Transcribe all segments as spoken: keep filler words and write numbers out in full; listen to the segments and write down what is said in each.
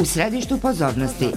u središtu pozornosti.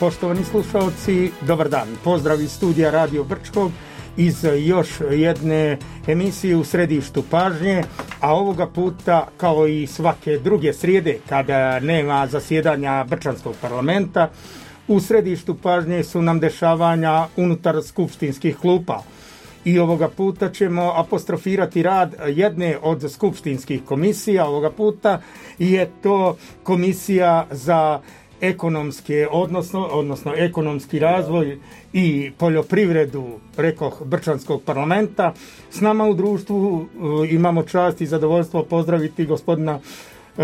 Poštovani slušalci, dobar dan. Pozdrav iz studija Radio Brčkog iz još jedne emisije u središtu pažnje, a ovoga puta, kao i svake druge srijede kada nema zasjedanja Brčanskog parlamenta, u središtu pažnje su nam dešavanja unutar skupštinskih klupa. I ovoga puta ćemo apostrofirati rad jedne od skupštinskih komisija. Ovoga puta je to komisija za ekonomske, odnosno, odnosno ekonomski razvoj i poljoprivredu, rekoh, Brčanskog parlamenta. S nama u društvu uh, imamo čast i zadovoljstvo pozdraviti gospodina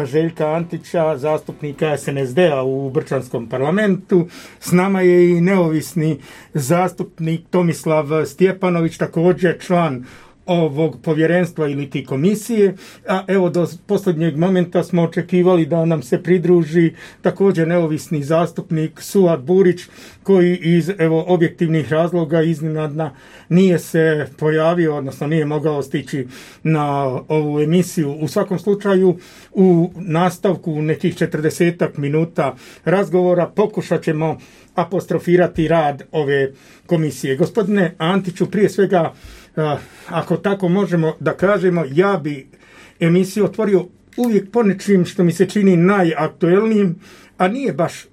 Željka Antića, zastupnika S N S D-a u Brčanskom parlamentu. S nama je i neovisni zastupnik Tomislav Stjepanović, također član ovog povjerenstva ili ti komisije, a evo do posljednjeg momenta smo očekivali da nam se pridruži također neovisni zastupnik Suad Burić, koji iz evo objektivnih razloga iznenadna nije se pojavio, odnosno nije mogao stići na ovu emisiju. U svakom slučaju, u nastavku nekih četrdesetak minuta razgovora pokušat ćemo apostrofirati rad ove komisije. Gospodine Antiću, prije svega, ako tako možemo da kažemo, ja bi emisiju otvorio uvijek ponečim što mi se čini najaktuelnijim, a nije baš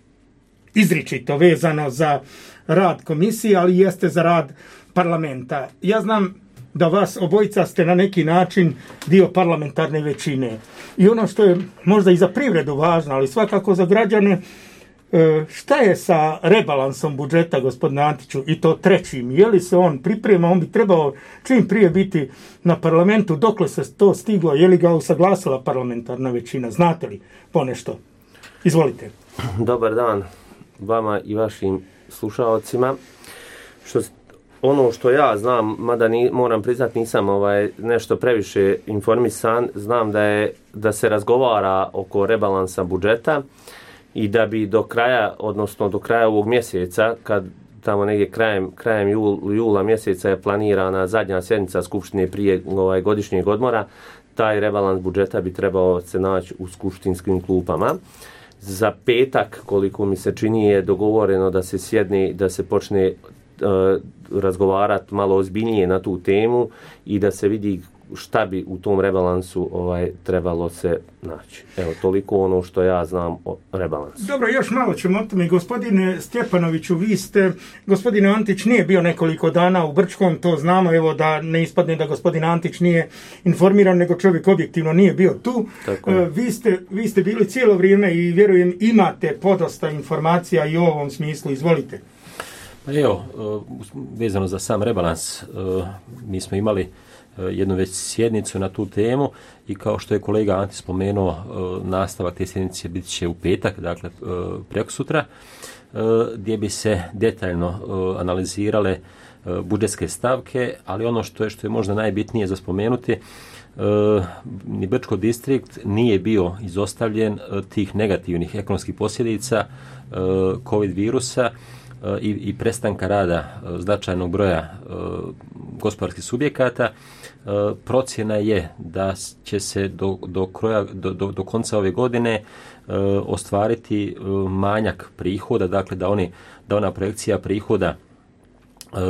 izričito vezano za rad komisije, ali jeste za rad parlamenta. Ja znam da vas obojica ste na neki način dio parlamentarne većine. I ono što je možda i za privredu važno, ali svakako za građane, šta je sa rebalansom budžeta, gospodine Antiću, i to trećim? Je li se on priprema? On bi trebao čim prije biti na parlamentu. Dokle se to stiglo? Je li ga usaglasila parlamentarna većina? Znate li ponešto? Izvolite. Dobar dan vama i vašim slušalcima. Što, ono što ja znam, mada ni, moram priznati nisam ovaj, nešto previše informisan, znam da, je, da se razgovara oko rebalansa budžeta i da bi do kraja, odnosno do kraja ovog mjeseca, kad tamo negdje krajem, krajem jul, jula mjeseca je planirana zadnja sjednica Skupštine prije ovaj, godišnjeg odmora, taj rebalans budžeta bi trebao se naći u skupštinskim klupama. Za petak, koliko mi se čini, je dogovoreno da se sjedne, da se počne uh, razgovarati malo ozbiljnije na tu temu i da se vidi šta bi u tom rebalansu ovaj trebalo se naći. Evo, toliko ono što ja znam o rebalansu. Dobro, još malo ćemo o tome. Gospodine Stjepanoviću, vi ste, gospodin Antić nije bio nekoliko dana u Brčkom, to znamo, evo da ne ispadne da gospodin Antić nije informiran, nego čovjek objektivno nije bio tu. Tako. Vi ste, vi ste bili cijelo vrijeme i vjerujem imate podosta informacija i u ovom smislu. Izvolite. Evo, vezano za sam rebalans, mi smo imali jednu već sjednicu na tu temu i kao što je kolega Anti spomenuo, nastavak te sjednice bit će u petak, dakle prekosutra, gdje bi se detaljno analizirale budžetske stavke, ali ono što je, što je možda najbitnije za spomenuti, ni Brčko distrikt nije bio izostavljen tih negativnih ekonomskih posljedica COVID virusa i, i prestanka rada značajnog broja gospodarskih subjekata. Procjena je da će se do, do, kroja, do, do, do konca ove godine ostvariti manjak prihoda, dakle da, oni, da ona projekcija prihoda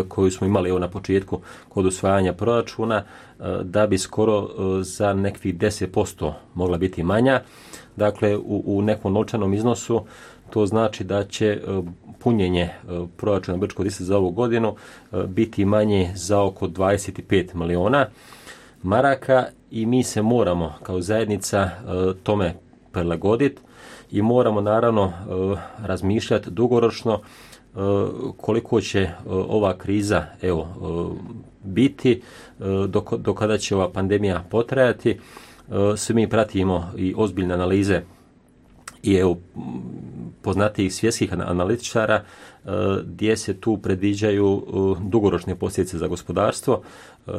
koju smo imali evo na početku kod usvajanja proračuna, da bi skoro za nekih deset posto mogla biti manja. Dakle, u, u nekom novčanom iznosu To znači da će punjenje proračuna Brčko-Distriktskog za ovu godinu biti manje za oko dvadeset pet miliona maraka i mi se moramo kao zajednica tome prilagoditi i moramo naravno razmišljati dugoročno koliko će ova kriza evo, biti, do, do kada će ova pandemija potrajati. Svi mi pratimo i ozbiljne analize i evo, poznatijih svjetskih analitičara gdje se tu predviđaju dugoročne posljedice za gospodarstvo.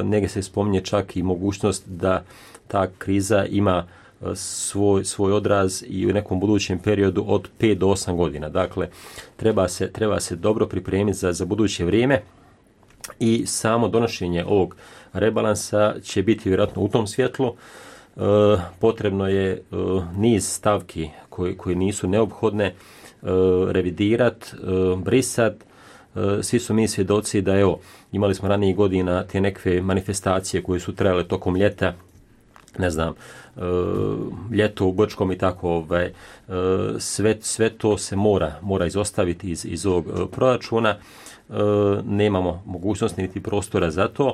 Negdje se spominje čak i mogućnost da ta kriza ima svoj, svoj odraz i u nekom budućem periodu od pet do osam godina. Dakle, treba se, treba se dobro pripremiti za, za buduće vrijeme i samo donošenje ovog rebalansa će biti vjerojatno u tom svjetlu. E, potrebno je e, niz stavki koje, koje nisu neophodne e, revidirati, e, brisati. E, svi su mi svjedoci da evo, imali smo ranijih godina te neke manifestacije koje su trajale tokom ljeta, ne znam, e, ljeto u Brčkom i tako, ovaj, e, sve, sve to se mora, mora izostaviti iz, iz ovog e, proračuna. E, nemamo mogućnosti niti prostora za to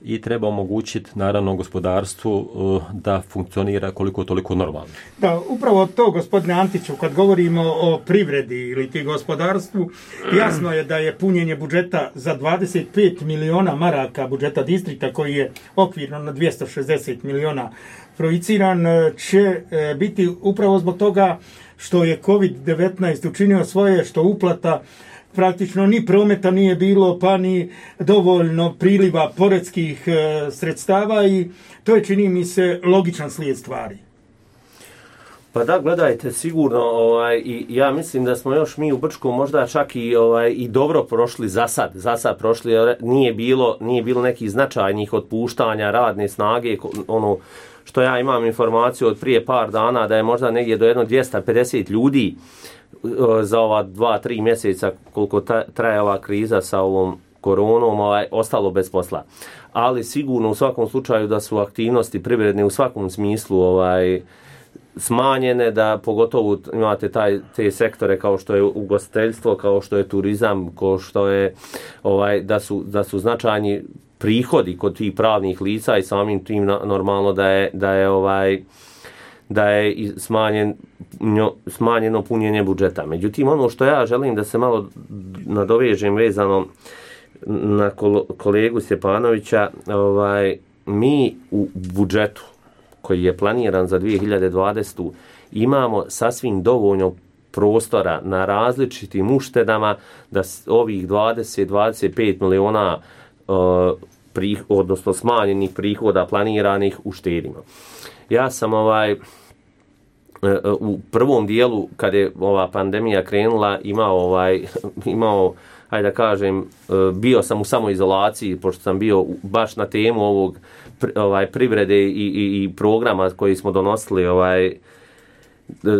i treba omogućiti naravno gospodarstvu e, da funkcionira koliko toliko normalno. Da, upravo to, gospodine Antiću, kad govorimo o privredi ili ti gospodarstvu, jasno je da je punjenje budžeta za dvadeset pet miliona maraka budžeta distrikta, koji je okvirno na dvjesto šezdeset miliona projiciran, će biti upravo zbog toga što je kovid devetnaest učinio svoje, što uplata praktično ni prometa nije bilo, pa ni dovoljno priliva poreskih e, sredstava i to je, čini mi se, logičan slijed stvari. Pa da, gledajte, sigurno, ovaj, i ja mislim da smo još mi u Brčku možda čak i, ovaj, i dobro prošli za sad, za sad prošli, nije bilo, nije bilo nekih značajnih otpuštanja radne snage, ono što ja imam informaciju od prije par dana da je možda negdje do jedno dvjesto pedeset ljudi za ova dva, tri mjeseca koliko traje ova kriza sa ovom koronom, ovaj, ostalo bez posla. Ali sigurno u svakom slučaju da su aktivnosti privredne u svakom smislu ovaj, smanjene, da pogotovo imate taj, te sektore kao što je ugostiteljstvo, kao što je turizam, kao što je ovaj, da su, da su značajni prihodi kod tih pravnih lica i samim tim normalno da je, da je ovaj da je smanjen, smanjeno punjenje budžeta. Međutim, ono što ja želim da se malo nadovežem vezano na kolegu Stjepanovića, ovaj, mi u budžetu koji je planiran za dvije hiljade dvadesetu imamo sasvim dovoljno prostora na različitim uštedama da ovih dvadeset do dvadeset pet miliona uh, prih, odnosno smanjenih prihoda planiranih uštedimo. Ja sam ovaj u prvom dijelu kad je ova pandemija krenula imao ovaj imao hajde da kažem bio sam u samoizolaciji pošto sam bio baš na temu ovog ovaj privrede i, i, i programa koji smo donosili ovaj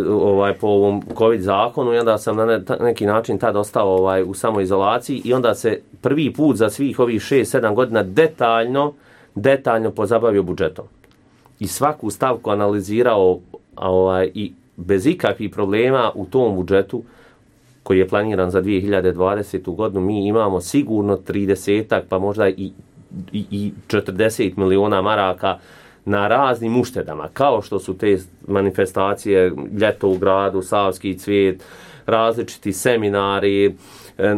ovaj po ovom covid zakonu i onda sam na neki način tad ostao ovaj u samoizolaciji i onda se prvi put za svih ovih šest sedam godina detaljno detaljno pozabavio budžetom. I svaku stavku analizirao ovaj, i bez ikakvih problema u tom budžetu koji je planiran za dvije hiljade dvadesetu godinu mi imamo sigurno tridesetak pa možda i, i, i četrdeset miliona maraka na raznim uštedama, kao što su te manifestacije Ljeto u gradu, Savski cvijet, različiti seminari,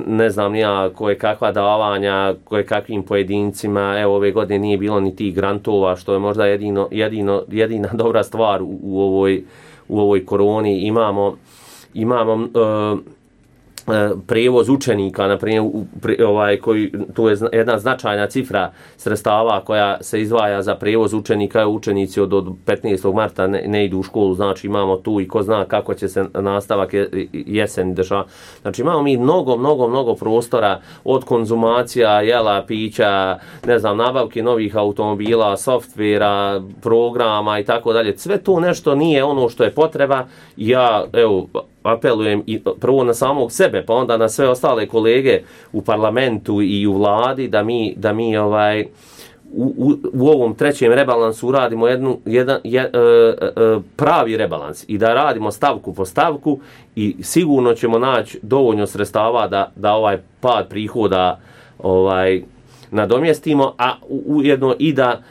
ne znam nija koje kakva davanja, koje kakvim pojedincima. Evo ove godine nije bilo ni tih grantova, što je možda jedino, jedino, jedina dobra stvar u, u, ovoj, u ovoj koroni. Imamo, imamo uh, prijevoz učenika, na primjer, ovaj, koji, tu je jedna značajna cifra sredstava koja se izdvaja za prijevoz učenika, učenici od, od petnaestog marta ne, ne idu u školu, znači imamo tu i ko zna kako će se nastavak jesen dešavati. Znači imamo mi mnogo, mnogo, mnogo prostora od konzumacija, jela, pića, ne znam, nabavke novih automobila, softvera, programa i tako dalje. Sve to nešto nije ono što je potreba. Ja, evo, apelujem i prvo na samog sebe, pa onda na sve ostale kolege u parlamentu i u vladi da mi, da mi ovaj u, u, u ovom trećem rebalansu uradimo jednu, jedan, je, e, e, pravi rebalans i da radimo stavku po stavku i sigurno ćemo naći dovoljno sredstava da, da ovaj pad prihoda ovaj, nadomjestimo, a ujedno i da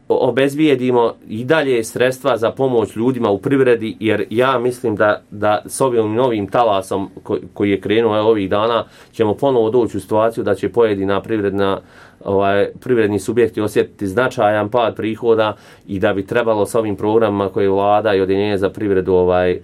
obezbijedimo i dalje sredstva za pomoć ljudima u privredi, jer ja mislim da, da s ovim novim talasom ko, koji je krenuo ovih dana ćemo ponovo doći u situaciju da će pojedina privredna ovaj, privredni subjekti osjetiti značajan pad prihoda i da bi trebalo s ovim programima koje vlada i Ujedinjenje za privredu ovaj,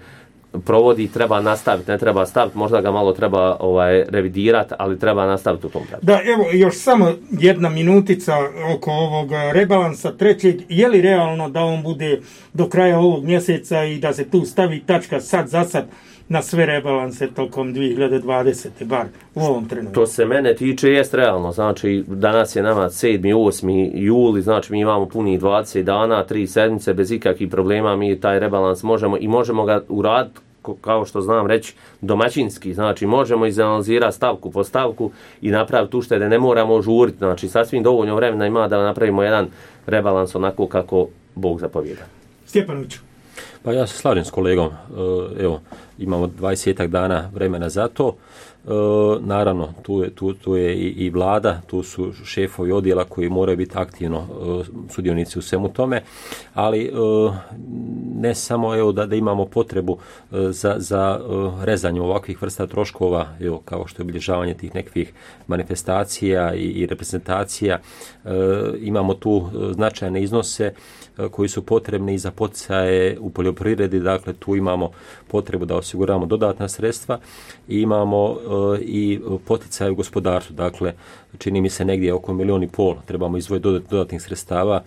provodi, treba nastaviti, ne treba staviti, možda ga malo treba ovaj, revidirati, ali treba nastaviti u tom pravcu. Da, evo, još samo jedna minutica oko ovog rebalansa trećeg. Je li realno da on bude do kraja ovog mjeseca i da se tu stavi tačka sad za sad na sve rebalanse tokom dvije hiljade dvadesete bar u ovom trenutku? To se mene tiče, jest realno. Znači, danas je nama sedmi osmi juli, znači mi imamo punih dvadeset dana, tri sedmice, bez ikakvih problema mi taj rebalans možemo i možemo ga uraditi, kao što znam reći, domaćinski. Znači, možemo izanalizirati stavku po stavku i napraviti uštede, ne moramo žuriti. Znači, sasvim dovoljno vremena ima da napravimo jedan rebalans onako kako Bog zapovijeda. Stjepanoviću. Pa ja se slažem s kolegom, evo, imamo dvadesetak dana vremena za to. E, naravno, tu je, tu, tu je i, i vlada, tu su šefovi odjela koji moraju biti aktivno e, sudionici u svemu tome, ali e, ne samo evo, da, da imamo potrebu e, za, za e, rezanje ovakvih vrsta troškova, evo, kao što je obilježavanje tih nekih manifestacija i, i reprezentacija, e, imamo tu značajne iznose koji su potrebni i za poticaje u poljoprivredi, dakle tu imamo potrebu da osiguramo dodatna sredstva i imamo uh, i poticaje u gospodarstvu, dakle čini mi se negdje oko milijun i pol trebamo izdvojiti dodat, dodatnih sredstava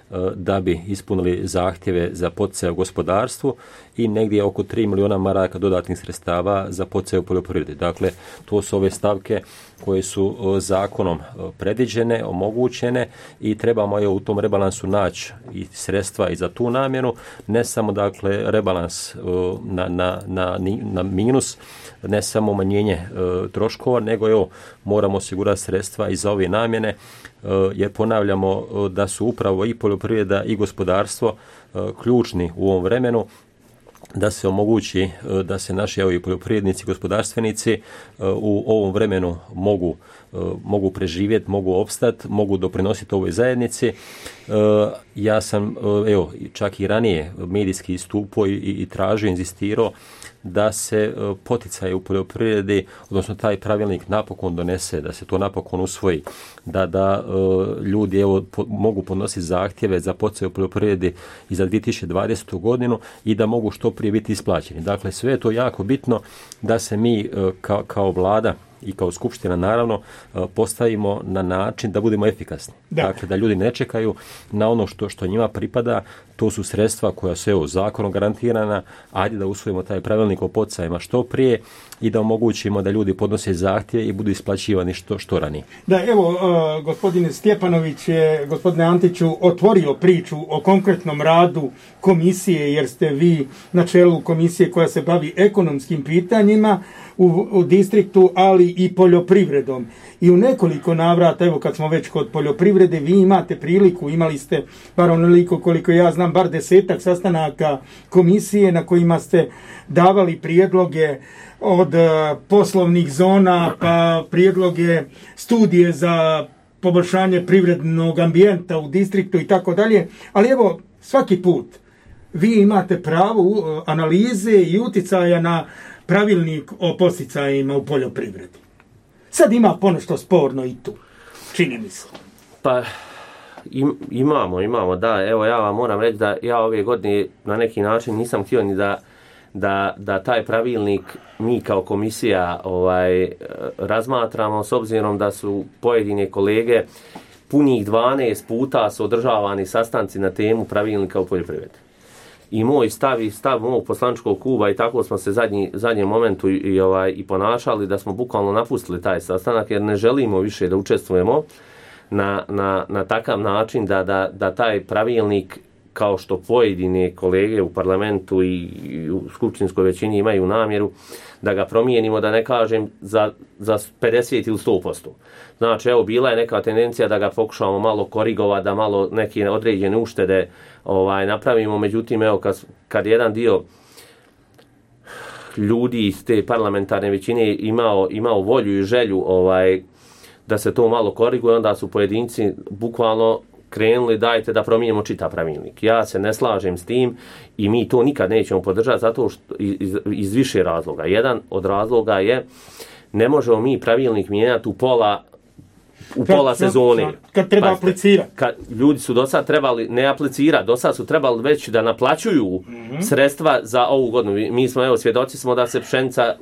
uh, da bi ispunili zahtjeve za poticaje u gospodarstvu i negdje oko tri milijuna maraka dodatnih sredstava za poticaje u poljoprivredi. Dakle, to su ove stavke koje su uh, zakonom uh, predviđene, omogućene i trebamo je u tom rebalansu naći i sredstva i za tu namjenu, ne samo dakle rebalans uh, na, na, na, na minus, ne samo umanjenje uh, troškova, nego evo, moramo osigurati sredstva i za ove namjene, uh, jer ponavljamo uh, da su upravo i poljoprivreda i gospodarstvo uh, ključni u ovom vremenu, da se omogući da se naši evo, i poljoprivrednici, gospodarstvenici u ovom vremenu mogu, mogu preživjeti, mogu opstati, mogu doprinositi ovoj zajednici. Ja sam evo, čak i ranije medijski istupao i, i tražio, inzistirao da se poticaje u poljoprivredi, odnosno taj pravilnik napokon donese, da se to napokon usvoji, da, da ljudi evo, po, mogu podnositi zahtjeve za poticaje u poljoprivredi i za dvije tisuće dvadesetu godinu i da mogu što prije biti isplaćeni. Dakle, sve je to jako bitno da se mi kao, kao vlada i kao skupština naravno postavimo na način da budemo efikasni. Da. Dakle, da ljudi ne čekaju na ono što, što njima pripada, to su sredstva koja su evo, zakonom garantirana, ajde da usvojimo taj pravilnik o poticajima što prije i da omogućimo da ljudi podnose zahtjeve i budu isplaćivani što, što ranije. Da, evo, uh, gospodine Stjepanović je, gospodine Antiću, otvorio priču o konkretnom radu komisije, jer ste vi na čelu komisije koja se bavi ekonomskim pitanjima u, u distriktu, ali i poljoprivredom. I u nekoliko navrata, evo kad smo već kod poljoprivrede, vi imate priliku, imali ste, bar onoliko koliko ja znam, bar desetak sastanaka komisije na kojima ste davali prijedloge od poslovnih zona, pa prijedloge studije za poboljšanje privrednog ambijenta u distriktu i tako dalje. Ali evo, svaki put vi imate pravo analize i uticaja na pravilnik o posticajima u poljoprivredi. Sad ima ponešto sporno i tu, čini mi se. Pa im, imamo, imamo, da. Evo ja vam moram reći da ja ove godine na neki način nisam htio ni da Da, da taj pravilnik mi kao komisija ovaj, razmatramo, s obzirom da su pojedine kolege punih dvanaest puta su održavani sastanci na temu pravilnika u poljoprivredi. I moj stav i stav mog poslančkog kluba i tako smo se zadnji, zadnjem momentu i, i, ovaj, i ponašali da smo bukvalno napustili taj sastanak jer ne želimo više da učestvujemo na, na, na takav način da, da, da taj pravilnik kao što pojedine kolege u parlamentu i u skupštinskoj većini imaju namjeru da ga promijenimo, da ne kažem za, za pedeset ili sto posto. Znači, evo, bila je neka tendencija da ga pokušamo malo korigovati, da malo neke određene uštede ovaj, napravimo, međutim, evo, kad, kad jedan dio ljudi iz te parlamentarne većine imao, imao volju i želju ovaj, da se to malo koriguje, onda su pojedinci bukvalno krenuli, dajte da promijenimo čitav pravilnik. Ja se ne slažem s tim i mi to nikad nećemo podržati zato što iz, iz više razloga. Jedan od razloga je ne možemo mi pravilnik mijenjati u pola u kad, pola sezone. Kad treba Pazite, aplicirati. Kad ljudi su do sad trebali ne aplicirati, do sad su trebali već da naplaćuju mm-hmm. sredstva za ovu godinu. Mi smo, evo, svjedoci smo da se pšenica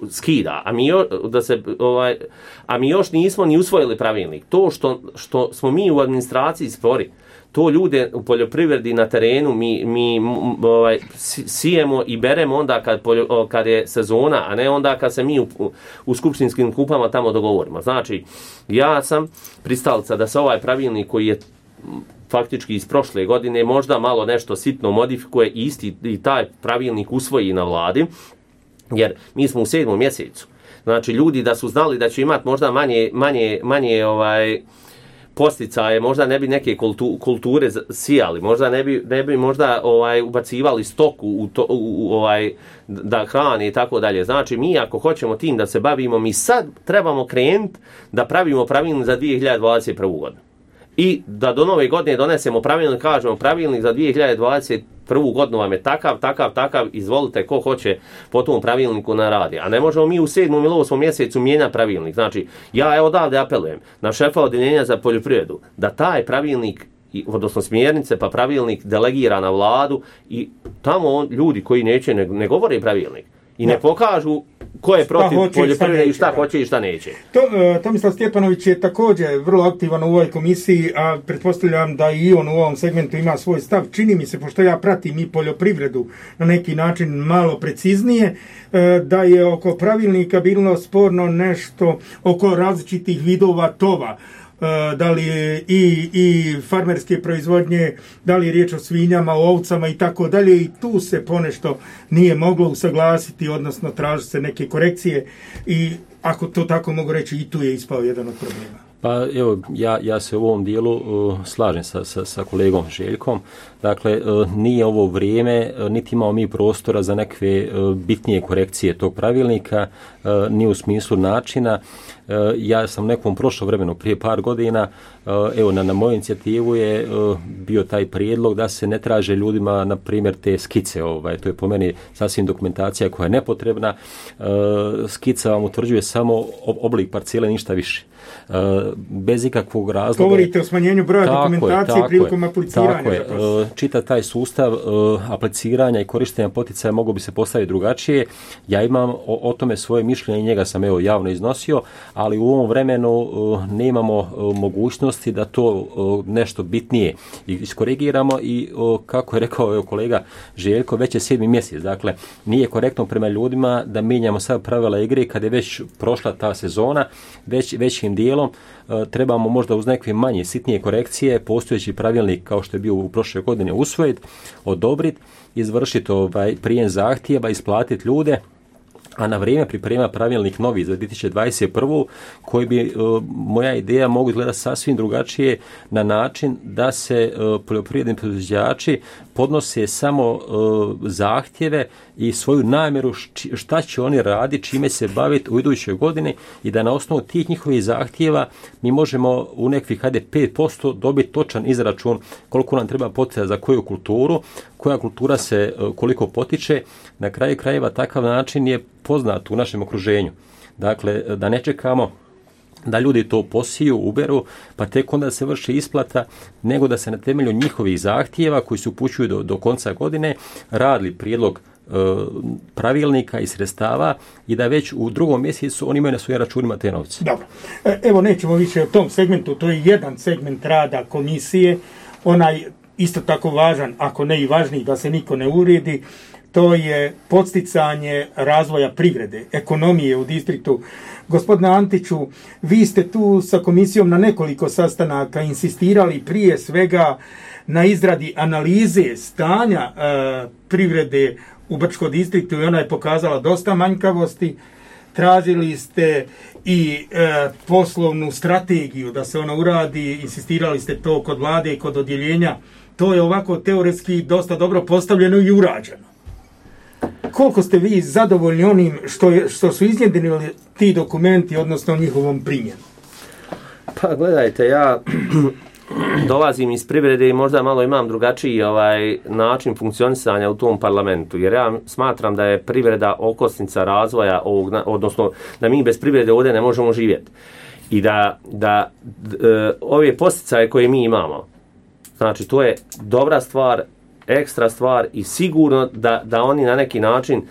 skida, a mi, jo, da se, ovaj, a mi još nismo ni usvojili pravilnik. To što, što smo mi u administraciji spori, to ljude u poljoprivredi na terenu mi, mi ovaj, sijemo i beremo onda kad, poljo, kad je sezona, a ne onda kad se mi u, u skupštinskim kupama tamo dogovorimo. Znači, ja sam pristalica da se ovaj pravilnik koji je faktički iz prošle godine možda malo nešto sitno modifikuje i isti i taj pravilnik usvoji na vladi, jer mi smo u sedmom mjesecu. Znači, ljudi da su znali da će imati možda manje, manje, manje ovaj, posticaje, možda ne bi neke kultu, kulture sijali, možda ne bi, ne bi možda ovaj ubacivali stoku u to, u, u, ovaj da hrane i tako dalje. Znači, mi ako hoćemo tim da se bavimo, mi sad trebamo krenuti da pravimo pravilnik za dvije hiljade dvadeset prvu godinu. I da do nove godine donesemo pravilnik, kažemo pravilnik za dvije hiljade dvadeset prvu godinu vam je takav, takav, takav, izvolite ko hoće po tom pravilniku na radi. A ne možemo mi u sedmom ili osmom mjesecu mijenjati pravilnik. Znači, ja evo odavde apelujem na šefa odjeljenja za poljoprivredu da taj pravilnik, odnosno smjernice pa pravilnik delegira na vladu i tamo on, ljudi koji neće ne, ne govore pravilnik i ne pokažu ko je protiv poljoprivrede i šta hoće i šta neće. To, uh, Tomislav Stjepanović je također vrlo aktivan u ovoj komisiji, a pretpostavljam da i on u ovom segmentu ima svoj stav. Čini mi se, pošto ja pratim i poljoprivredu na neki način malo preciznije, uh, da je oko pravilnika bilo sporno nešto oko različitih vidova tova. Da li i, i farmerske proizvodnje, da li je riječ o svinjama, o ovcama i tako dalje, i tu se ponešto nije moglo usaglasiti, odnosno traži se neke korekcije i ako to tako mogu reći, i tu je ispao jedan od problema. Pa evo, ja, ja se u ovom dijelu uh, slažem sa, sa, sa kolegom Željkom. Dakle, uh, nije ovo vrijeme, uh, niti imamo mi prostora za neke uh, bitnije korekcije tog pravilnika, uh, ni u smislu načina. Uh, ja sam u nekom prošlom vremenu, prije par godina, uh, evo, na, na moju inicijativu je uh, bio taj prijedlog da se ne traže ljudima, na primjer, te skice. Ovaj, to je po meni sasvim dokumentacija koja je nepotrebna. Uh, skica vam utvrđuje samo oblik parcele, ništa više. Uh, bez ikakvog razloga. Govorite o smanjenju broja tako dokumentacije je, prilikom apliciranja. Tako je. Čita taj sustav uh, apliciranja i korištenja poticaja mogu bi se postaviti drugačije. Ja imam o, o tome svoje mišljenje i njega sam evo javno iznosio, ali u ovom vremenu uh, nemamo uh, mogućnosti da to uh, nešto bitnije iskorigiramo i uh, kako je rekao evo, kolega Željko, već je sedmi mjesec. Dakle, nije korektno prema ljudima da mijenjamo sad pravila igre kad je već prošla ta sezona, već većim dijelom uh, trebamo možda uz neke manje sitnije korekcije postojeći pravilnik kao što je bio u prošle godine usvojiti, odobriti, izvršiti ovaj prijem zahtjeva, isplatiti ljude, a na vrijeme priprema pravilnik novi za dvije tisuće dvadeset prvu koji bi, uh, moja ideja, mogu izgledati sasvim drugačije na način da se uh, poljoprivredni proizvođači podnose samo uh, zahtjeve i svoju namjeru šta će oni raditi, čime se baviti u idućoj godini i da na osnovu tih njihovih zahtjeva mi možemo u nekih hajde pet posto dobiti točan izračun koliko nam treba poticaja za koju kulturu, koja kultura se uh, koliko potiče. Na kraju krajeva takav način je poznat u našem okruženju. Dakle, da ne čekamo da ljudi to posiju, uberu, pa tek onda se vrši isplata, nego da se na temelju njihovih zahtjeva koji se upućuju do, do konca godine radili prijedlog e, pravilnika i sredstava i da već u drugom mjesecu oni imaju na svojim računima te novce. Dobro. E, evo, nećemo više o tom segmentu, to je jedan segment rada komisije, onaj isto tako važan, ako ne i važniji, da se niko ne uvrijedi. to je podsticanje razvoja privrede, ekonomije u distriktu. Gospodine Antiću, vi ste tu sa komisijom na nekoliko sastanaka insistirali prije svega na izradi analize stanja e, privrede u Brčkom distriktu i ona je pokazala dosta manjkavosti. Tražili ste i e, poslovnu strategiju da se ona uradi, insistirali ste to kod vlade i kod odjeljenja. To je ovako teoretski dosta dobro postavljeno i urađeno. Koliko ste vi zadovoljni onim što, je, što su iznjedrili ti dokumenti, odnosno njihovom primjenu? Pa gledajte, ja dolazim iz privrede i možda malo imam drugačiji ovaj način funkcionisanja u tom parlamentu, jer ja smatram da je privreda okosnica razvoja ovog, odnosno da mi bez privrede ovdje ne možemo živjeti. I da, da e, ove posticaje koje mi imamo, znači to je dobra stvar, ekstra stvar i sigurno da, da oni na neki način e,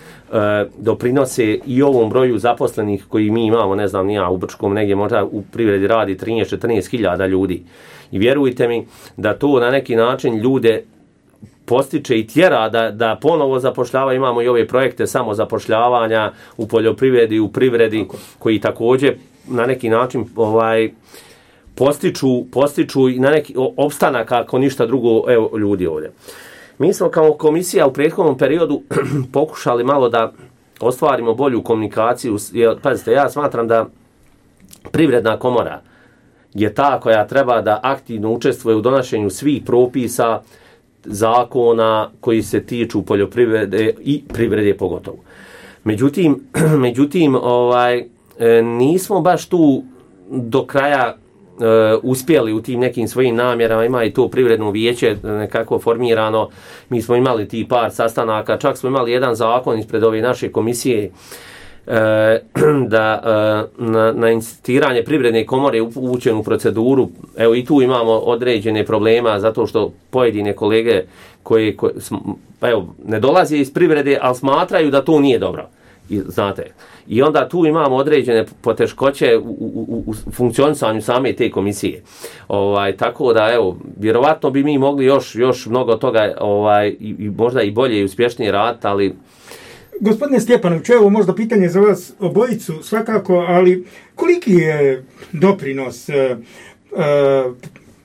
doprinose i ovom broju zaposlenih koji mi imamo, ne znam, nija u Brčkom negdje možda u privredi radi trinaest do četrnaest hiljada ljudi. I vjerujte mi da to na neki način ljude postiče i tjera da, da ponovo zapošljava. Imamo i ove projekte samozapošljavanja u poljoprivredi, u privredi, koji također na neki način ovaj postiču, postiču i na neki opstanak ako ništa drugo, evo, ljudi ovdje. Mi smo kao komisija u prethodnom periodu pokušali malo da ostvarimo bolju komunikaciju. Jer, pazite, ja smatram da Privredna komora je ta koja treba da aktivno učestvuje u donošenju svih propisa, zakona koji se tiču poljoprivrede i privrede pogotovo. Međutim, međutim ovaj, nismo baš tu do kraja Uh, uspjeli u tim nekim svojim namjerama. Ima i to privredno vijeće nekako formirano. Mi smo imali ti par sastanaka, čak smo imali jedan zakon ispred ove naše komisije uh, da uh, na, na insistiranje Privredne komore upućen u proceduru. Evo i tu imamo određene problema zato što pojedine kolege koje, koje evo, ne dolaze iz privrede, ali smatraju da to nije dobro. I, znate, i onda tu imamo određene poteškoće u, u, u funkcionisanju same te komisije. Ovaj, tako da, evo, vjerovatno bi mi mogli još, još mnogo toga ovaj, i, i možda i bolje i uspješnije raditi, ali... Gospodine Stjepanović, evo možda pitanje za vas obojicu svakako, ali koliki je doprinos e, e,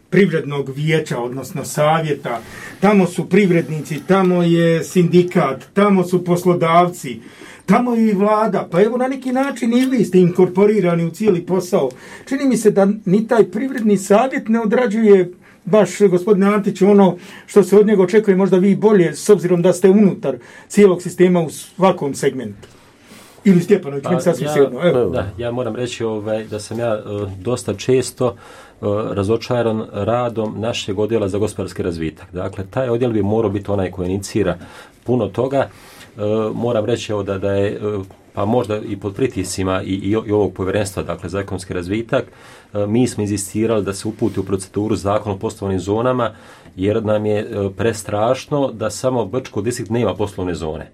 privrednog vijeća, odnosno savjeta? Tamo su privrednici, tamo je sindikat, tamo su poslodavci, tamo je i vlada, pa evo na neki način i vi ste inkorporirani u cijeli posao. Čini mi se da ni taj privredni savjet ne odrađuje baš, gospodine Antić, ono što se od njega očekuje možda vi bolje, s obzirom da ste unutar cijelog sistema u svakom segmentu. Ili Stjepanović, pa, sasvim ja, sigurno. Evo. Da, ja moram reći ovaj, da sam ja uh, dosta često uh, razočaran radom našeg odjela za gospodarski razvitak. Dakle, taj odjel bi morao biti onaj koji inicira puno toga. Uh, moram reći evo, da, da je uh, pa možda i pod pritiscima i, i, i ovog povjerenstva, dakle za ekonomski razvitak, uh, mi smo inzistirali da se uputi u proceduru zakon o poslovnim zonama, jer nam je uh, prestrašno da samo Brčko distrikt nema poslovne zone.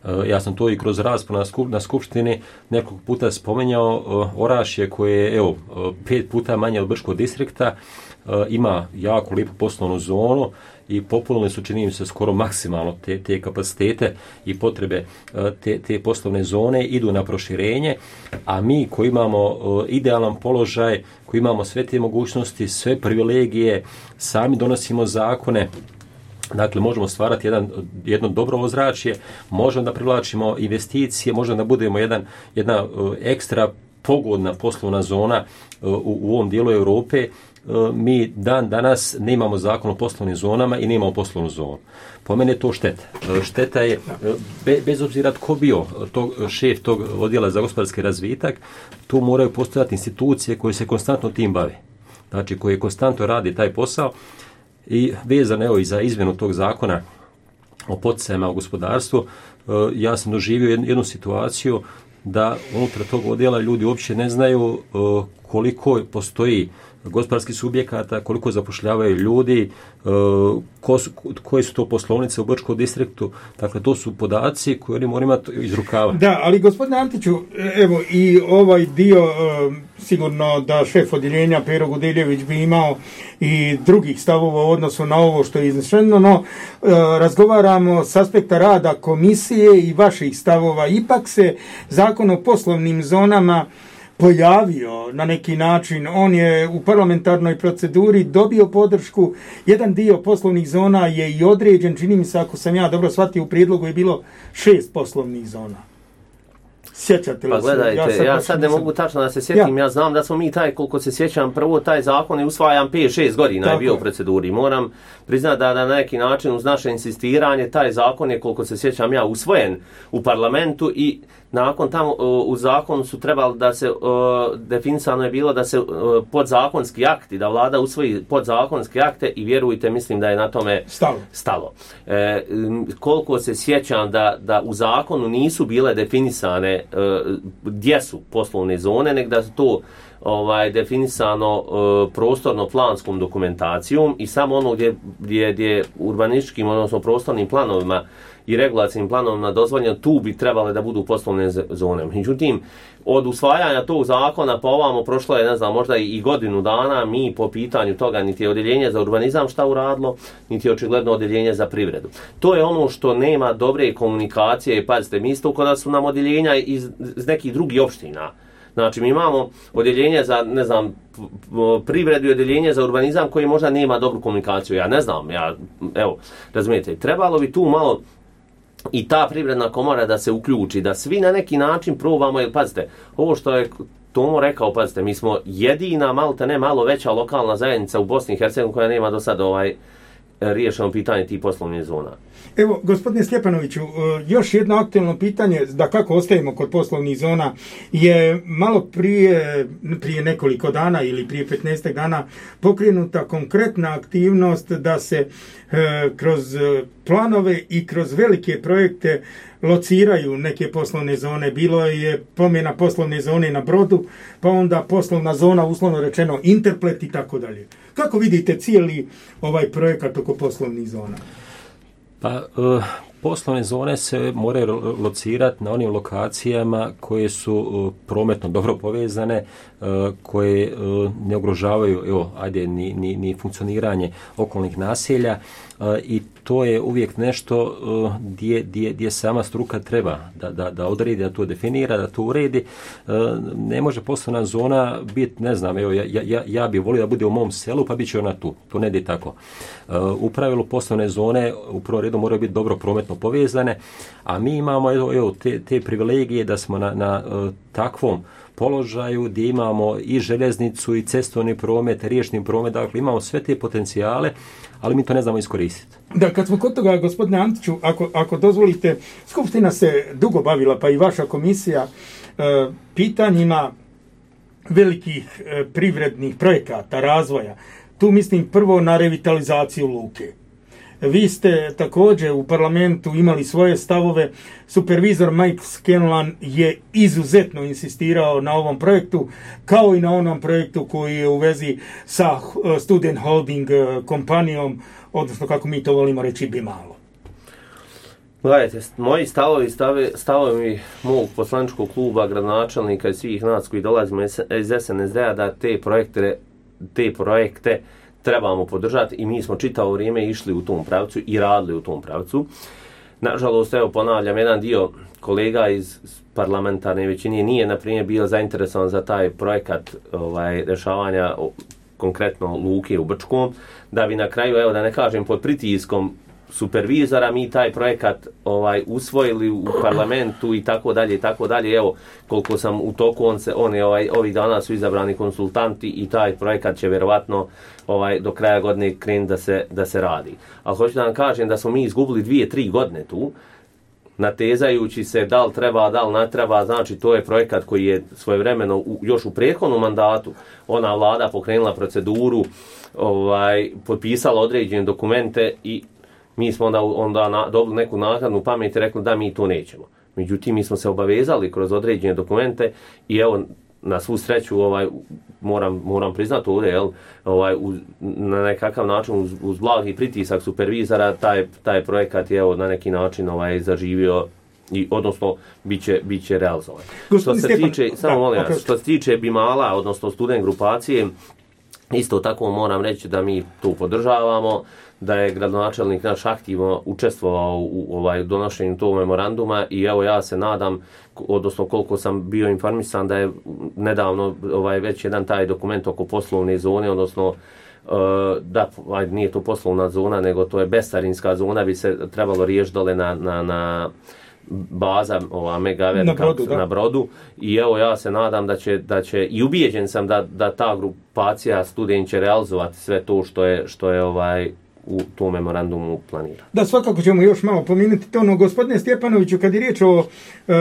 Uh, ja sam to i kroz raspravu na, skup, na skupštini nekoliko puta spomenjao. uh, Orašje koje je evo, uh, pet puta manje od Brčkog distrikta, uh, ima jako lijepu poslovnu zonu i popunili su, čini mi se, skoro maksimalno te, te kapacitete i potrebe te, te poslovne zone, idu na proširenje, a mi koji imamo idealan položaj, koji imamo sve te mogućnosti, sve privilegije, sami donosimo zakone, dakle možemo stvarati jedan, jedno dobro ozračje, možemo da privlačimo investicije, možemo da budemo jedan, jedna ekstra pogodna poslovna zona u, u ovom dijelu Europe. Mi dan danas nemamo zakon o poslovnim zonama i nemamo poslovnu zonu. Po mene je to šteta. Šteta je, be, bez obzira tko bio tog, šef tog odjela za gospodarski razvitak, tu moraju postojati institucije koje se konstantno tim bave. Znači, koje konstantno radi taj posao i vezano evo i za izmjenu tog zakona o poticajima u gospodarstvu, ja sam doživio jednu situaciju da unutar tog odjela ljudi uopće ne znaju koliko postoji gospodarskih subjekata, koliko zapošljavaju ljudi, ko su, koje su to poslovnice u Brčkom distriktu. Dakle, to su podaci koje oni moraju imati iz rukava. Da, ali gospodine Antiću, evo i ovaj dio, sigurno da šef odjeljenja Pero Gudeljević bi imao i drugih stavova u odnosu na ovo što je iznešeno, no razgovaramo s aspekta rada komisije i vaših stavova. Ipak se Zakon o poslovnim zonama pojavio na neki način, on je u parlamentarnoj proceduri dobio podršku, jedan dio poslovnih zona je i određen, čini mi se, ako sam ja dobro shvatio, u prijedlogu je bilo šest poslovnih zona. Sjećate li pa, gledajte, se? Ja sad, ja sad ne mogu tačno da se sjetim, ja. ja znam da smo mi taj, koliko se sjećam, prvo taj zakon je usvajan pet šest godina Tako. je bio u proceduri. Moram priznati da na neki način uz naše insistiranje taj zakon je, koliko se sjećam ja, usvojen u parlamentu i nakon tamo u zakonu su trebali da se, definisano je bilo da se podzakonski akti, da vlada usvoji podzakonske akte i vjerujte, mislim da je na tome stalo. stalo. E, koliko se sjećam da, da u zakonu nisu bile definisane e, gdje su poslovne zone, nego da su to ovaj definisano e, prostorno-planskom dokumentacijom i samo ono gdje, gdje, gdje urbanističkim, odnosno prostornim planovima i regulacijnim planovima dozvoljeno, tu bi trebale da budu poslovne zone. Međutim, od usvajanja tog zakona pa ovamo prošlo je, ne znam, možda i godinu dana, mi po pitanju toga niti je odjeljenje za urbanizam šta uradilo, niti je očigledno odjeljenje za privredu. To je ono što nema dobre komunikacije. Pazite, mi isto kada su nam odjeljenja iz, iz nekih drugih opština. Znači, mi imamo odjeljenje za, ne znam, privredu i odjeljenje za urbanizam koji možda nema dobru komunikaciju. Ja ne znam, ja, evo, razumijete, trebalo bi tu malo i ta privredna komora da se uključi, da svi na neki način probamo, jer pazite, ovo što je Tomo rekao, pazite, mi smo jedina, malte ne malo veća lokalna zajednica u Bosni i Hercegovini koja nema do sada ovaj riješeno pitanje tih poslovnih zona. Evo, gospodine Stjepanoviću, još jedno aktualno pitanje, da kako ostajemo kod poslovnih zona, je malo prije, prije nekoliko dana ili prije petnaest dana pokrenuta konkretna aktivnost da se e, kroz planove i kroz velike projekte lociraju neke poslovne zone. Bilo je promjena poslovne zone na Brodu, pa onda poslovna zona, uslovno rečeno, Interplet i tako dalje. Kako vidite cijeli ovaj projekat oko poslovnih zona? Pa, e, poslovne zone se moraju locirati na onim lokacijama koje su e, prometno dobro povezane, e, koje e, ne ugrožavaju, evo, ajde, ni, ni, ni funkcioniranje okolnih naselja e, i to je uvijek nešto e, gdje, gdje, gdje sama struka treba da, da, da odredi, da to definira, da to uredi. E, ne može poslovna zona biti, ne znam, evo, ja, ja, ja bih volio da bude u mom selu, pa bit će ona tu. To ne ide tako. E, u pravilu poslovne zone u prvom redu moraju biti dobro prometno povezane, a mi imamo evo, evo, te, te privilegije da smo na, na uh, takvom položaju gdje imamo i željeznicu i cestovni promet, riječni promet, dakle imamo sve te potencijale, ali mi to ne znamo iskoristiti. Da, kad smo kod toga, gospodine Antiću, ako, ako dozvolite, Skupština se dugo bavila, pa i vaša komisija, uh, pitanjima velikih uh, privrednih projekata, razvoja. Tu mislim prvo na revitalizaciju luke. Vi ste također u parlamentu imali svoje stavove. Supervizor Mike Scanlon je izuzetno insistirao na ovom projektu, kao i na onom projektu koji je u vezi sa Student Holding kompanijom, odnosno kako mi to volimo reći, Bimalo. Gledajte, moji stavovi, stave, stavovi mog poslaničkog kluba, gradonačelnika i svih nas koji dolazimo iz S N S D-a da te projekte, te projekte trebamo podržati i mi smo čitavo vrijeme išli u tom pravcu i radili u tom pravcu. Nažalost, evo ponavljam, jedan dio kolega iz parlamentarne većine nije, na primjer, bio zainteresovan za taj projekat ovaj, rješavanja konkretno luke u Brčkom, da bi na kraju, evo da ne kažem, pod pritiskom supervizora mi taj projekat ovaj usvojili u parlamentu i tako dalje i tako dalje. Evo koliko sam u toku, on se on je ovaj ovih dana su izabrani konsultanti i taj projekat će vjerovatno ovaj do kraja godine krenuti da se da se radi. Ali hoću da vam kažem da smo mi izgubili dvije, tri godine tu natezajući se da li treba, da li ne treba. Znači to je projekat koji je svojevremeno u, još u prethodnom mandatu ona vlada pokrenula proceduru, ovaj potpisala određene dokumente i mi smo onda, onda na, dobili neku naknadnu pamet i rekli da mi to nećemo. Međutim, mi smo se obavezali kroz određene dokumente i evo, na svu sreću ovaj moram moram priznati ovdje, jel, ovaj uz, na nekakav način uz, uz blagi pritisak supervizora taj taj projekat je evo na neki način ovaj zaživio i odnosno biće biće realizovan. Što se Stjepan, tiče samo molim vas, što se tiče Bimala odnosno student grupacije, isto tako moram reći da mi to podržavamo, da je gradonačelnik naš aktivno učestvovao u, u ovaj donošenju tog memoranduma i evo ja se nadam, odnosno koliko sam bio informisan da je nedavno ovaj već jedan taj dokument oko poslovne zone, odnosno uh, da aj, nije to poslovna zona nego to je bescarinska zona, bi se trebalo riješiti dole na, na, na baza ova Megaver na brodu, na brodu i evo ja se nadam da će da će i ubijeđen sam da da ta grupacija student će realizovati sve to što je što je ovaj u tom memorandumu planira. Da, svakako ćemo još malo pominuti to, no gospodine Stjepanoviću, kad je riječ o e,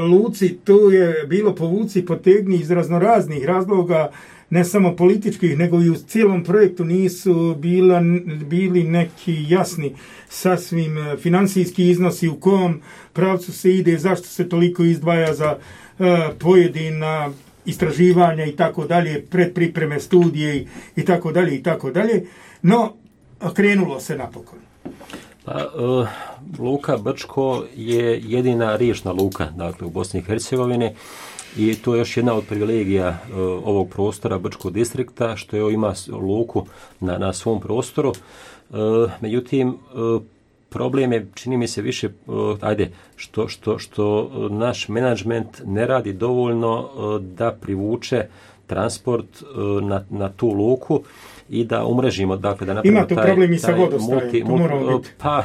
luci, tu je bilo povuci potegni iz raznoraznih razloga, ne samo političkih, nego i u cijelom projektu nisu bila, bili neki jasni sasvim financijski iznosi u kom pravcu se ide, zašto se toliko izdvaja za e, pojedina istraživanja i tako dalje, predpripreme studije i, i tako dalje i tako dalje. No, krenulo se napokon. Pa, uh, luka Brčko je jedina riječna luka, dakle, u Bosni i Hercegovini i to je još jedna od privilegija uh, ovog prostora Brčkog distrikta, što je ima luku na, na svom prostoru. Uh, međutim, uh, problem je, čini mi se više, uh, ajde, što, što, što naš menadžment ne radi dovoljno uh, da privuče transport uh, na, na tu luku i da umrežimo, dakle, da napravimo ima tu taj, problem i sa vodostajem, to moramo biti pa,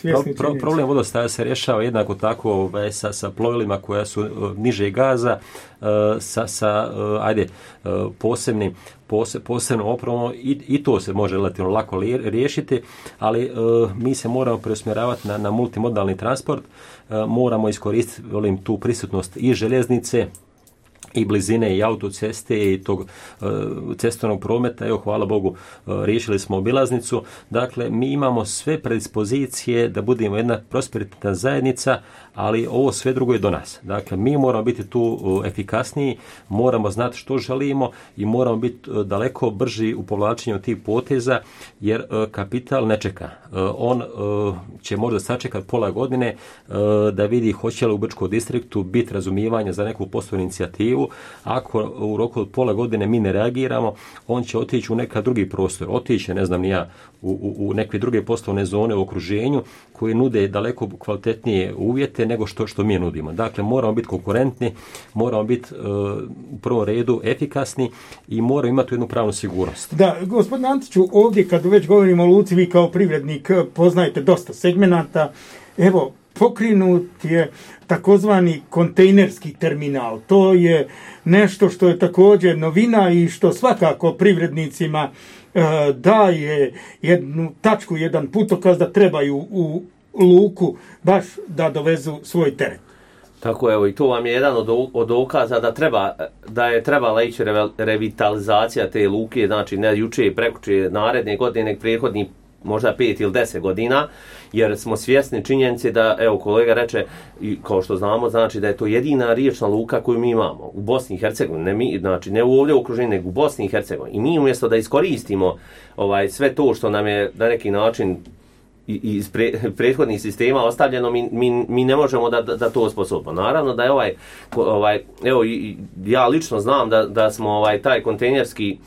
pro, pro, problem vodostaja se rješava jednako tako ovaj, sa, sa plovilima koja su uh, niže gaza, uh, sa, sa uh, ajde, uh, posebnim pose, posebnom opremom i, i to se može relativno lako li, riješiti, ali uh, mi se moramo preusmjeravati na, na multimodalni transport, uh, moramo iskoristiti volim, tu prisutnost i željeznice, i blizine i autoceste i tog uh, cestovnog prometa. Evo, hvala Bogu, uh, riješili smo obilaznicu. Dakle, mi imamo sve predispozicije da budemo jedna prosperitetna zajednica, ali ovo sve drugo je do nas. Dakle, mi moramo biti tu uh, efikasniji, moramo znati što želimo i moramo biti uh, daleko brži u povlačenju tih poteza, jer uh, kapital ne čeka. Uh, on uh, će možda sačekati pola godine uh, da vidi hoće li u Brčkom distriktu biti razumijevanja za neku poslovnu inicijativu. Ako u roku od pola godine mi ne reagiramo, on će otići u neka drugi prostor. Otići, ne znam ni ja, u, u, u neke druge poslovne zone u okruženju koje nude daleko kvalitetnije uvjete nego što, što mi nudimo. Dakle, moramo biti konkurentni, moramo biti uh, u prvom redu efikasni i moramo imati jednu pravnu sigurnost. Da, gospodin Antiću, ovdje kad već govorimo o luci, vi kao privrednik poznajete dosta segmenata. Evo, pokrenut je takozvani kontejnerski terminal. To je nešto što je također novina i što svakako privrednicima e, daje jednu tačku, jedan putokaz da trebaju u luku baš da dovezu svoj teret. Tako, evo, i to vam je jedan od, od dokaza da treba, da je trebala ići revitalizacija te luke, znači ne juče i prekuče naredne godine, nek prethodni možda pet ili deset godina, jer smo svjesni činjenice da, evo, kolega reče, i kao što znamo, znači da je to jedina riječna luka koju mi imamo u Bosni i Hercegovini, ne mi, znači ne ovdje u okruženju, nego u Bosni i Hercegovini. I mi umjesto da iskoristimo ovaj sve to što nam je na neki način iz pre, prethodnih sistema ostavljeno, mi, mi, mi ne možemo da, da, da to osposobimo. Naravno da je ovaj, ovaj evo, ja lično znam da, da smo ovaj taj kontejnerski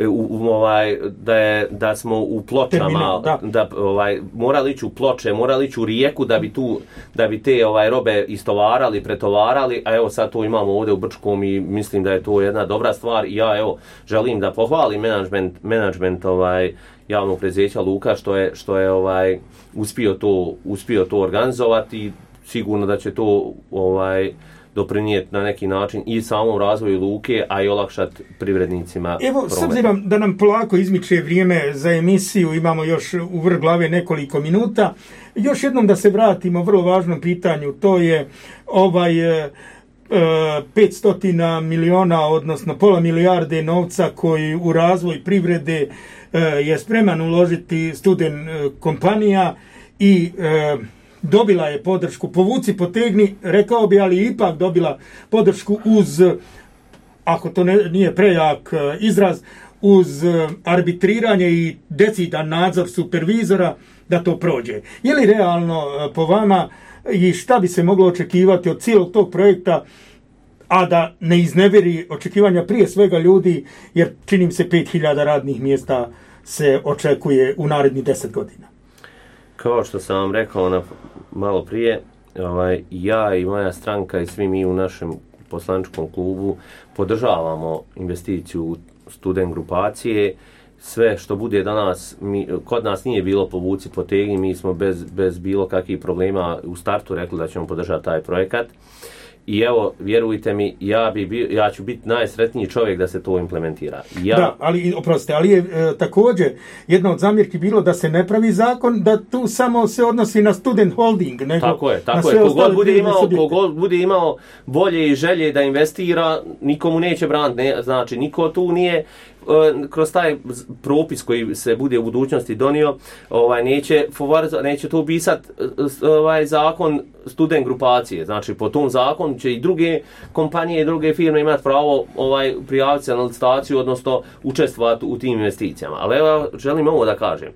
U, u, ovaj, da, je, da smo u Pločama, Terminal, da. Da, ovaj, morali ići u Ploče, morali ići u Rijeku da bi, tu, da bi te ovaj, robe istovarali, pretovarali, a evo sad to imamo ovdje u Brčkom i mislim da je to jedna dobra stvar i ja evo želim da pohvalim menadžment, menadžment ovaj, javnog preduzeća Luka što je, što je ovaj, uspio, to, uspio to organizovati i sigurno da će to ovaj, doprinijeti na neki način i samom razvoju luke, a i olakšati privrednicima. Evo, promet. S obzirom da nam polako izmiče vrijeme za emisiju, imamo još u vrh glave nekoliko minuta, još jednom da se vratimo vrlo važnom pitanju, to je ovaj e, petsto miliona, odnosno pola milijarde novca koji u razvoj privrede e, je spreman uložiti student e, kompanija i e, dobila je podršku, povuci potegni, rekao bi, ali ipak dobila podršku uz ako to ne, nije prejak izraz, uz arbitriranje i decidan nadzor supervizora da to prođe. Je li realno po vama i šta bi se moglo očekivati od cijelog tog projekta, a da ne iznevjeri očekivanja prije svega ljudi, jer čini mi se pet hiljada radnih mjesta se očekuje u narednih deset godina? Kao što sam vam rekao na, malo prije, ovaj, ja i moja stranka i svi mi u našem poslaničkom klubu podržavamo investiciju student grupacije. Sve što bude danas, mi, kod nas nije bilo povuci potegi, mi smo bez, bez bilo kakvih problema u startu rekli da ćemo podržati taj projekat. I evo, vjerujte mi, ja, bi bio, ja ću biti najsretniji čovjek da se to implementira. Ja... Da, ali, oprostite, ali je e, također jedna od zamjerki bilo da se ne pravi zakon, da tu samo se odnosi na student holding. Nego tako je, tako je. Kogod bude, imao, kogod bude imao volje i želje da investira, nikomu neće braniti. Ne, znači, niko tu nije kroz taj propis koji se bude u budućnosti donio, ovaj neće neće to upisati ovaj zakon student grupacije. Znači po tom zakonu će i druge kompanije i druge firme imati pravo ovaj prijaviti se na licitaciju, odnosno učestvovati u tim investicijama. Ali evo želim ovo da kažem.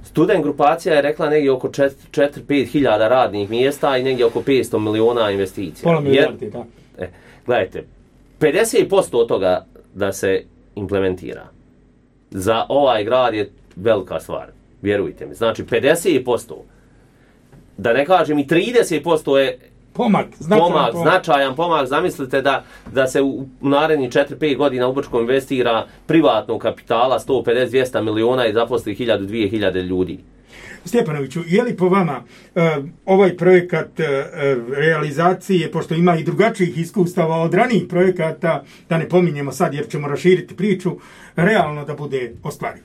Student grupacija je rekla negdje oko četiri do pet hiljada radnih mjesta i negdje oko petsto miliona investicija. Pola milijardi, da. E, gledajte, pedeset posto od toga da se implementira. Za ovaj grad je velika stvar, vjerujte mi. Znači pedeset posto, da ne kažem i trideset posto je pomak, značajan pomak, pomak. značajan pomak. Zamislite da, da se u narednih četiri do pet godina u Brčkom investira privatnog kapitala sto pedeset do dvjesto miliona i zaposli hiljadu do dvije hiljade ljudi. Stjepanoviću, je li po vama uh, ovaj projekat uh, realizacije, pošto ima i drugačijih iskustava od ranijih projekata, da ne pominjemo sad jer ćemo raširiti priču, realno da bude ostvariv?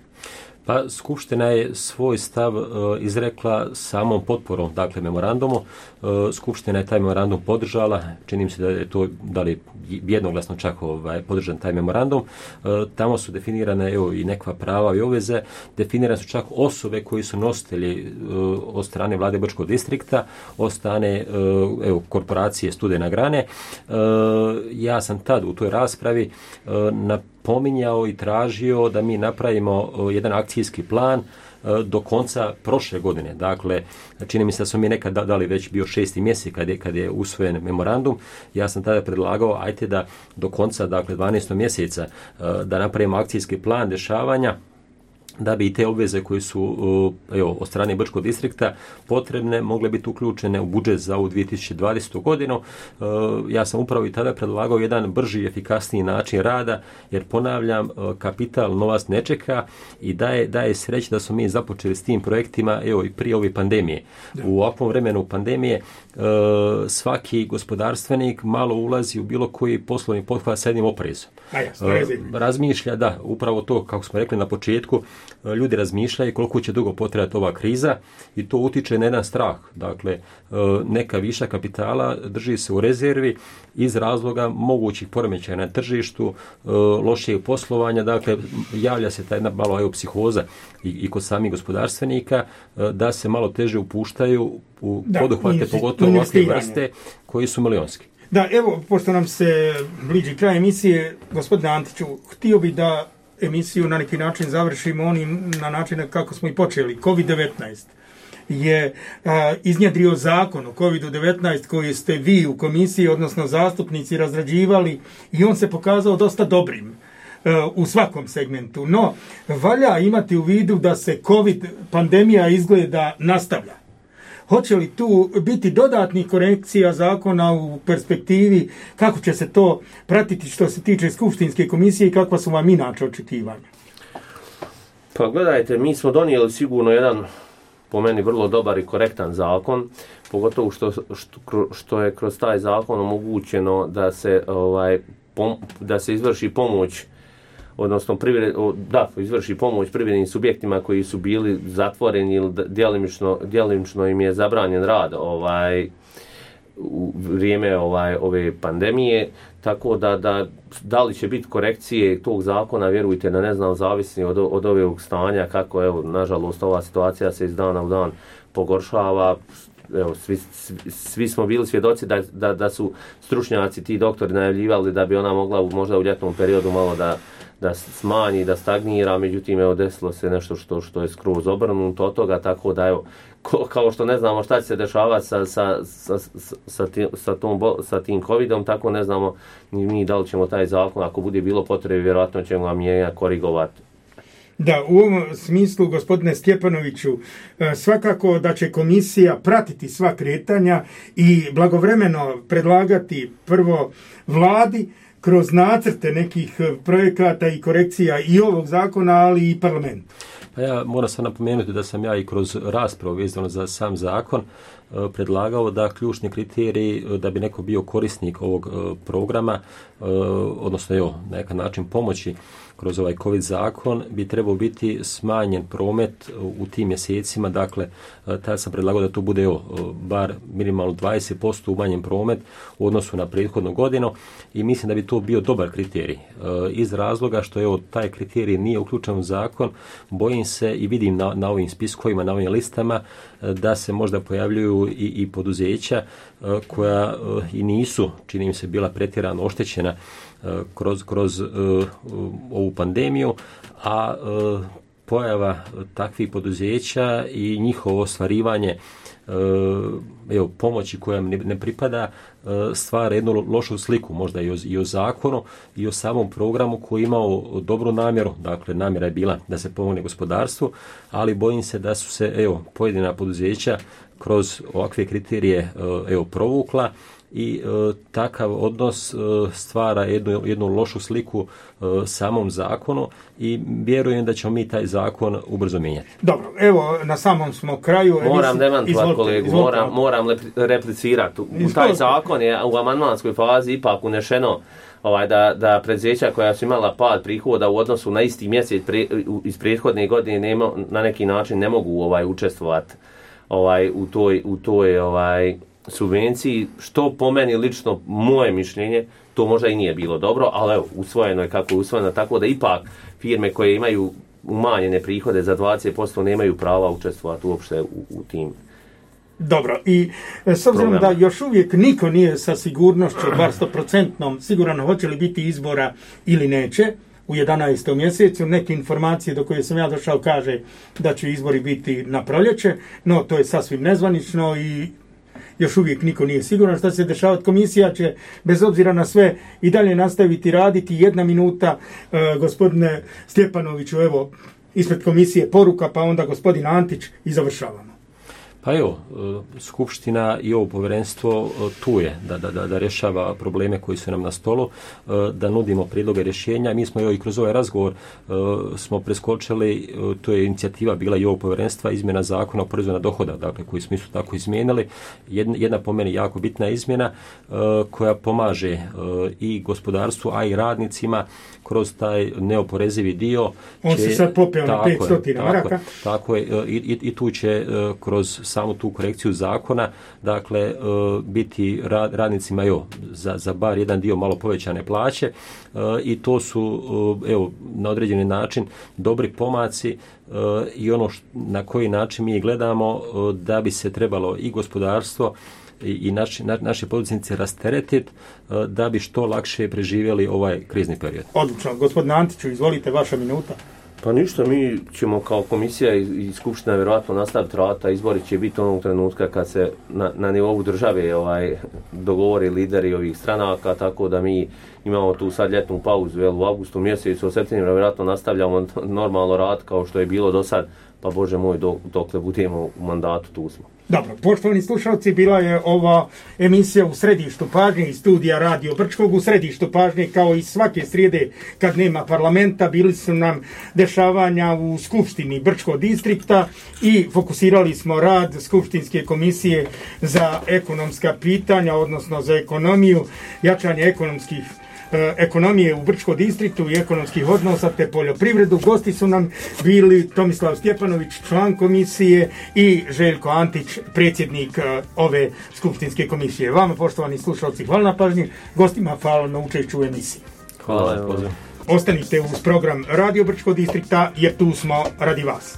Pa Skupština je svoj stav uh, izrekla samom potporom, dakle memorandumu. Uh, Skupština je taj memorandum podržala, čini mi se da je to da li jednoglasno čak ovaj, podržan taj memorandum. Uh, tamo su definirane evo, i nekva prava i obveze, definirane su čak osobe koji su nositelji uh, od strane vlade Brčkog distrikta, od strane uh, evo, korporacije Studena Grane. Uh, ja sam tad u toj raspravi uh, na pominjao i tražio da mi napravimo jedan akcijski plan do konca prošle godine. Dakle, čini mi se da smo mi nekad dali već bio šesti mjesec kad je, kad je usvojen memorandum. Ja sam tada predlagao, ajte da do konca, dakle dvanaestog mjeseca, da napravimo akcijski plan dešavanja da bi i te obveze koje su evo, od strane Brčkog distrikta potrebne mogle biti uključene u budžet za ovu dvije tisuće dvadesetu godinu. Ja sam upravo i tada predlagao jedan brži i efikasniji način rada, jer ponavljam, kapital novac ne čeka i daje, daje sreće da smo mi započeli s tim projektima evo, i prije ove pandemije. U ovakvom vremenu pandemije svaki gospodarstvenik malo ulazi u bilo koji poslovni pothvat sa jednim oprezom. Razmišlja, da, upravo to, kako smo rekli na početku, ljudi razmišljaju koliko će dugo potrajati ova kriza i to utiče na jedan strah. Dakle, neka viša kapitala drži se u rezervi iz razloga mogućih poremećaja na tržištu, lošijeg poslovanja, dakle, javlja se ta jedna malo evo, psihoza i, i kod samih gospodarstvenika da se malo teže upuštaju u da, poduhvate, pogotovo ovakve vrste koji su milionski. Da, evo, pošto nam se bliži kraj emisije, gospodine Antiću, htio bi da emisiju na neki način završimo onim na način kako smo i počeli. kovid devetnaest je a, iznjedrio zakon o kovid devetnaest koji ste vi u komisiji, odnosno zastupnici, razrađivali i on se pokazao dosta dobrim a, u svakom segmentu. No, valja imati u vidu da se COVID pandemija izgleda nastavlja. Hoće li tu biti dodatnih korekcija zakona u perspektivi, kako će se to pratiti što se tiče Skupštinske komisije i kakva su vam inače očekivanja? Pa gledajte, mi smo donijeli sigurno jedan, po meni, vrlo dobar i korektan zakon, pogotovo što, što, što je kroz taj zakon omogućeno da se, ovaj, pom, da se izvrši pomoć, odnosno privred, da, izvrši pomoć privrednim subjektima koji su bili zatvoreni ili djelimično, djelimično im je zabranjen rad ovaj, u vrijeme ovaj, ove pandemije, tako da, da da li će biti korekcije tog zakona, vjerujte da ne znam, zavisni od, od ovog stanja, kako evo, nažalost, ova situacija se iz dana u dan pogoršava. evo, svi, svi, svi smo bili svjedoci da, da, da su stručnjaci, ti doktori najavljivali da bi ona mogla možda u ljetnom periodu malo da, da smanji, da stagnira, međutim evo desilo se nešto što, što je skroz obrnuto od toga, tako da evo, ko, kao što ne znamo šta će se dešavati sa, sa, sa, sa, tim, sa, tom, sa tim covidom, tako ne znamo ni mi da li ćemo taj zakon, ako bude bilo potrebe, vjerojatno ćemo ga mijenjati, korigovati. Da, u ovom smislu, gospodine Stjepanoviću, svakako da će komisija pratiti sva kretanja i blagovremeno predlagati prvo vladi kroz nacrte nekih projekata i korekcija i ovog zakona, ali i parlamentu. Pa ja moram sam napomenuti da sam ja i kroz raspravu vezano za sam zakon predlagao da ključni kriteriji da bi neko bio korisnik ovog programa, odnosno evo, na neki način pomoći kroz ovaj COVID zakon, bi trebao biti smanjen promet u tim mjesecima. Dakle, tada sam predlagao da to bude evo, bar minimalno dvadeset posto umanjen promet u odnosu na prethodnu godinu i mislim da bi to bio dobar kriterij. Iz razloga što evo, taj kriterij nije uključen u zakon, bojim se i vidim na, na ovim spiskovima, na ovim listama, da se možda pojavljuju i, i poduzeća koja i nisu, čini mi se, bila pretjerano oštećena kroz, kroz uh, ovu pandemiju, a uh, pojava takvih poduzeća i njihovo ostvarivanje uh, evo, pomoći koja ne, ne pripada uh, stvara jednu lošu sliku možda i o, i o zakonu i o samom programu koji je imao dobru namjeru. Dakle, namjera je bila da se pomogne gospodarstvu, ali bojim se da su se evo, pojedina poduzeća kroz ovakve kriterije uh, evo, provukla i e, takav odnos e, stvara jednu, jednu lošu sliku e, samom zakonu i vjerujem da ćemo mi taj zakon ubrzo mijenjati. Dobro, evo na samom smo kraju. Moram demantovati kolegu, izvolite. moram, moram replicirati. U, u taj zakon je u amandmanskoj fazi ipak unešeno ovaj, da, da preduzeća koja su imala pad prihoda u odnosu na isti mjesec pre, iz prethodne godine nema, na neki način ne mogu ovaj, učestvovati ovaj, u toj, u toj ovaj, subvenciji, što po meni lično moje mišljenje, to možda i nije bilo dobro, ali evo, usvojeno je kako je usvojeno, tako da ipak firme koje imaju umanjene prihode za dvadeset posto nemaju prava učestvovati uopšte u, u tim. Dobro, i s obzirom da još uvijek niko nije sa sigurnošću, bar sto procentnom, siguran hoće li biti izbora ili neće, u jedanaestom mjesecu, neke informacije do koje sam ja došao kaže da će izbori biti na proljeće, no to je sasvim nezvanično i još uvijek niko nije siguran šta će se dešavati. Komisija će, bez obzira na sve, i dalje nastaviti raditi. Jedna minuta, e, gospodine Stjepanoviću, evo, ispred komisije poruka, pa onda gospodin Antić i završavamo. Pa evo, Skupština i ovo povjerenstvo tu je da, da, da rješava probleme koji su nam na stolu, da nudimo prijedloge rješenja. Mi smo i kroz ovaj razgovor smo preskočili, to je inicijativa bila i ovog povjerenstva, izmjena zakona o porezu na dohodak, dakle, koji smo isto tako izmijenili. Jedna, jedna po meni jako bitna izmjena koja pomaže i gospodarstvu, a i radnicima kroz taj neoporezivi dio. On će, se sad popeo na petsto maraka. Tako je, i, i, i tu će kroz samu tu korekciju zakona, dakle, biti rad, radnicima jo, za, za bar jedan dio malo povećane plaće i to su, evo, na određeni način dobri pomaci i ono š, na koji način mi gledamo da bi se trebalo i gospodarstvo i naši, na, naši poduzetnici rasteretiti da bi što lakše preživjeli ovaj krizni period. Odlično. Gospodine Antiću, izvolite, vaša minuta. Pa ništa, mi ćemo kao komisija i, i Skupština vjerojatno nastaviti rata, izbori će biti onog trenutka kad se na, na nivou države ovaj, dogovori lideri ovih stranaka, tako da mi imamo tu sad ljetnu pauzu, jel, u avgustu mjesecu, u septembru vjerojatno nastavljamo normalno rad kao što je bilo do sad, pa Bože moj, dok, dokle budemo u mandatu, tu smo. Dobro, poštovani slušalci, bila je ova emisija u središtu pažnje iz studija Radio Brčkog. U središtu pažnje, kao i svake srijede kad nema parlamenta, bili su nam dešavanja u Skupštini Brčkog distrikta i fokusirali smo rad Skupštinske komisije za ekonomska pitanja, odnosno za ekonomiju, jačanje ekonomskih ekonomije u Brčkom distriktu i ekonomskih odnosa te poljoprivredu. Gosti su nam bili Tomislav Stjepanović, član komisije, i Željko Antić, predsjednik ove Skupštinske komisije. Vama, poštovani slušalci, hvala na pažnji, gostima hvala na učešću u emisiji. Hvala. Ostanite uz program Radio Brčkog distrikta jer tu smo radi vas.